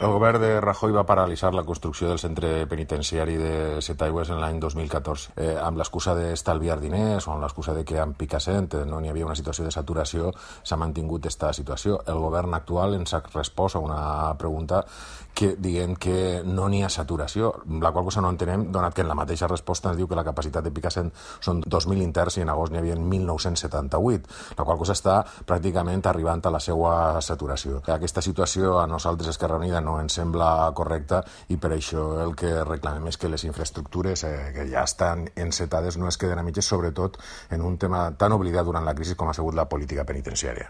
El govern de Rajoy va paralitzar la construcció del centre penitenciari de Setaigües en l'any 2014 amb l'excusa d'estalviar diners o amb l'excusa de que amb Picassent no n'hi havia una situació de saturació. S'ha mantingut aquesta situació. El govern actual ens ha respost a una pregunta dient que no n'hi ha saturació, la qual cosa no entenem, donat que en la mateixa resposta ens diu que la capacitat de Picassent són 2.000 interns i en agost n'hi havia 1.978, la qual cosa està pràcticament arribant a la seva saturació. Aquesta situació a nosaltres, Esquerra Unida, no ens sembla correcta i per això el que reclamem és que les infraestructures que ja estan encetades no es queden a mitges, sobretot en un tema tan oblidat durant la crisi com ha sigut la política penitenciària.